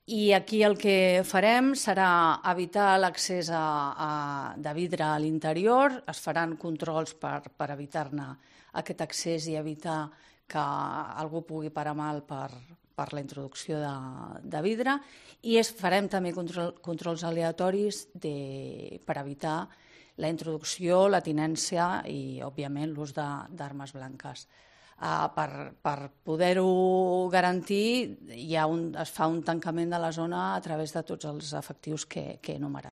I aquí el que farem serà evitar l'accés de vidre a l'interior, es faran controls per evitar-ne aquest accés i evitar que algú pugui parar mal per la introducció de vidre, i farem també controls aleatoris per evitar la introducció, la tinença i, òbviament, l'ús d'armes blanques. Per poder-ho garantir, es fa un tancament de la zona a través de tots els efectius que he enumerat.